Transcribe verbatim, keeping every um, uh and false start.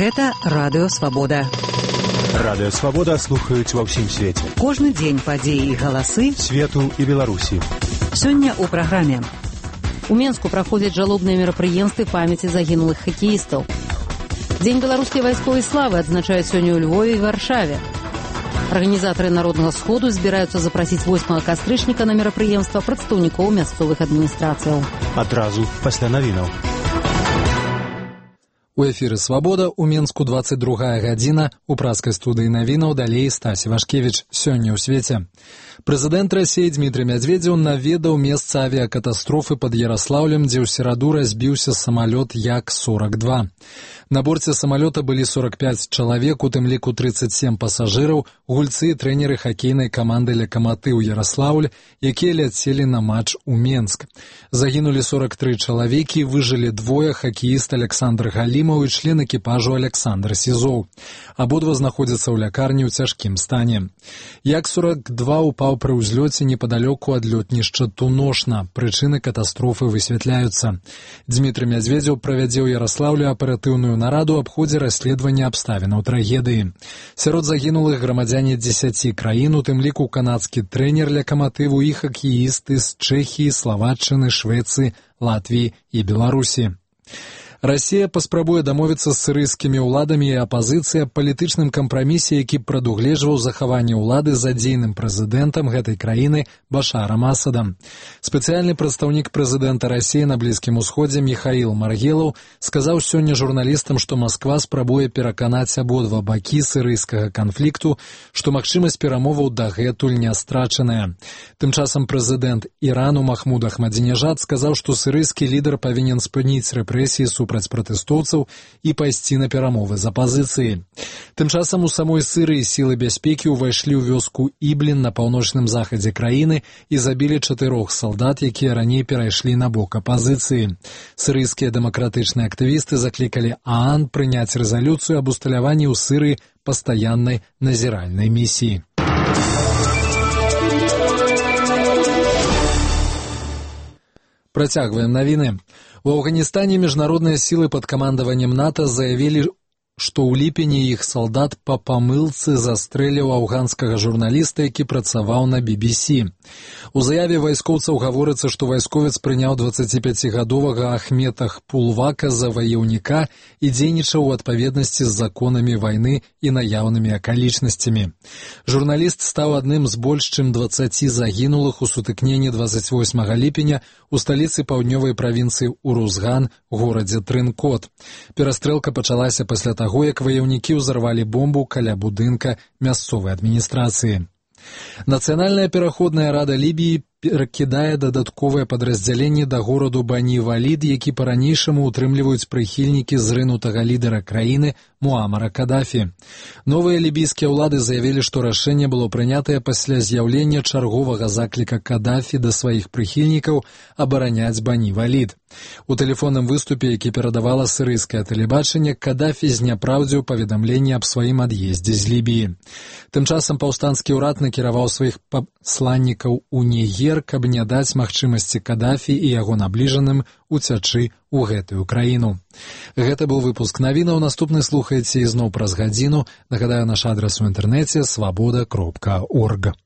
Гэта Радыё Свабода. Радыё Свабода слухаюць ва ўсім свеце. Кожны дзень падзеі і галасы свету і Беларусі. Сёння ў праграме. У Менску праходзяць жалобныя мерапрыемствы памяці загінулых хакеістаў. Дзень беларускай вайсковай славы адзначаюць сёння ў Львове і Варшаве. Арганізатары народнага сходу збіраюцца запрасіць восьмага кастрычніка на мерапрыемства прадстаўнікоў мясцовых адміністрацыяў. Адразу пасля навінаў. У эфіры «Свабода», у Менску двадцать другая гадзіна, у праскай студыі навінаў далей Стась Івашкевіч. Сёння ў свеце. Прэзідэнт Расіі Дмітрый Мядзведзеў наведаў месца авіякатастрофы пад Яраслаўлем, дзе ў сераду разбіўся самалёт Як сорок два. На борце самалёта былі сорок пять чалавек, у тым ліку тридцать семь пасажыраў, гульцы і трэнеры хакейнай каманды «Лакаматыў Яраслаўль», якія ляцелі на матч у Менск. Загінулі сорок три чалавекі, выжылі двое, хакеіст Александр Галімаў і член экіпажу Александр Сізоў. Абодва знаходзяцца ў лякарні ў цяжкім стане. Як сорок два упаў пры ўзлёце непадалёку ад лётнішча Туношна. Прычыны катастрофы высвятляюцца. Дмітрый Мядзведзеў правядзе ў Яраслаўлю аператыўную нараду аб ходзе расследавання абставінаў трагедыі. Сярод загінулых грамадзяне дзесяці краін, у тым ліку канадскі трэнер «Лакаматыву» і хакеісты з Чэхіі, Славаччыны, Швецыі, Латвіі і Беларусі. Расія паспрабуе дамовіцца з сірыйскімі ўладамі і апазіцыяй аб палітычным кампрамісе, які прадугледжваў захаванне ўлады за дзейным прэзідэнтам гэтай краіны Башарам Асадам. Спецыяльны прадстаўнік прэзідэнта Расіі на Блізкім Усходзе Міхаіл Маргелаў сказаў сёння журналістам, што Масква спрабуе пераканаць абодва бакі сірыйскага канфлікту, што магчымасць перамоваў дагэтуль не страчаная. Тым часам прэзідэнт Ірану Махмуд Ахмадзінежад сказаў, што сірыйскі лідар павінен спыніць рэпрэсіі супраць пратэстоўцаў і пайсці на перамовы з апазіцыяй. Тым часам у самой Сірыі сілы бяспекі ўвайшлі ў вёску Іблін на паўночным захадзе краіны і забілі чатырох салдат, якія раней перайшлі на бок апазіцыі. Сірыйскія дэмакратычныя актывісты заклікалі ААН прыняць рэзалюцыю аб усталяванні ў Сірыі пастаяннай назіральнай місіі. Працягваем навіны. У Афганістане міжнародныя сілы пад камандаваннем НАТО заявілі, што ў ліпені іх салдат па памылцы застрэліў афганскага журналіста, які працаваў на би би сі. У заяве вайскоўцаў гаворыцца, што вайсковец прыняў дваццаціпяцігадовага Ахмета Пулвака за ваяўніка і дзейнічаў у адпаведнасці з законамі вайны і наяўнымі акалічнасцямі. Журналіст стаў адным з больш чым дваццаці загінулых у сутыкненні двадцать восьмага ліпеня у сталіцы паўднёвай правінцыі Урузган, горадзе Трынкот. Перастрэлка пачалася пасля таго, як ваяўнікі ўзарвалі бомбу каля будынка мясцовай адміністрацыі. Нацыянальная пераходная рада Лібіі перакідае дадатковыя падраздзяленні да гораду Бані-Валід, які па-ранейшаму утрымліваюць прыхільнікі зрынутага лідара краіны Муамара Кадафі. Новыя лібійскія ўлады заявілі, што рашэнне было прынятае пасля з'яўлення чарговага закліка Кадафі да сваіх прыхільнікаў абараняць Бані-Валід. У тэлефонным выступе, які перадавала сірыйскае тэлебачанне, Кадафі зняпраўдзіў паведамленне аб сваім ад'ездзе з Лібіі. Тым часам паўстанскі ўрад накіраваў сваіх пасланнікаў у Нігер, каб не даць магчымасці Кадафі і яго набліжаным уцячы ў гэтую краіну. Гэта быў выпуск навінаў. Наступны слухаеце ізноў праз гадзіну. Нагадаю, наш адрас у інтэрнэце свабода кропка орг.